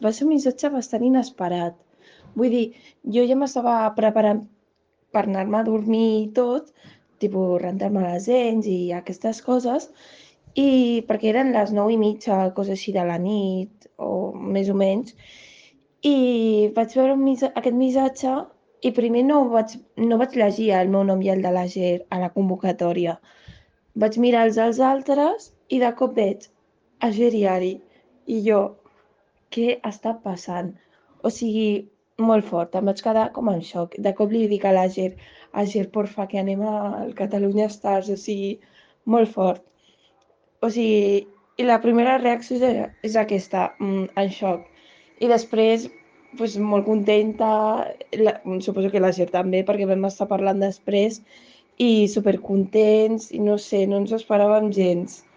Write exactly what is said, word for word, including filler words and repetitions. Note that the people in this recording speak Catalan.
Va ser un missatge bastant inesperat. Vull dir, jo ja m'estava preparant per anar-me a dormir i tot, tipus rentar-me les dents i aquestes coses, i perquè eren les nou i mitja, cosa així de la nit, o més o menys, i vaig veure un missa aquest missatge i primer no vaig no vaig llegir el meu nom i el de l'Ager a la convocatòria. Vaig mirar els dels altres i de cop veig Ager i Ari, i jo: "Què està passant?". O sigui, molt fort, em vaig quedar com en xoc. De cop li dic a l'Ager: "Ager, porfa, que anem al Catalunya Stars", o sigui, molt fort. O sigui, i la primera reacció és a és aquesta, mm, en xoc. I després, pues, molt contenta, la suposo que l'Ager també, perquè vam estar parlant després, i supercontents, i no sé, no ens ho esperàvem gens.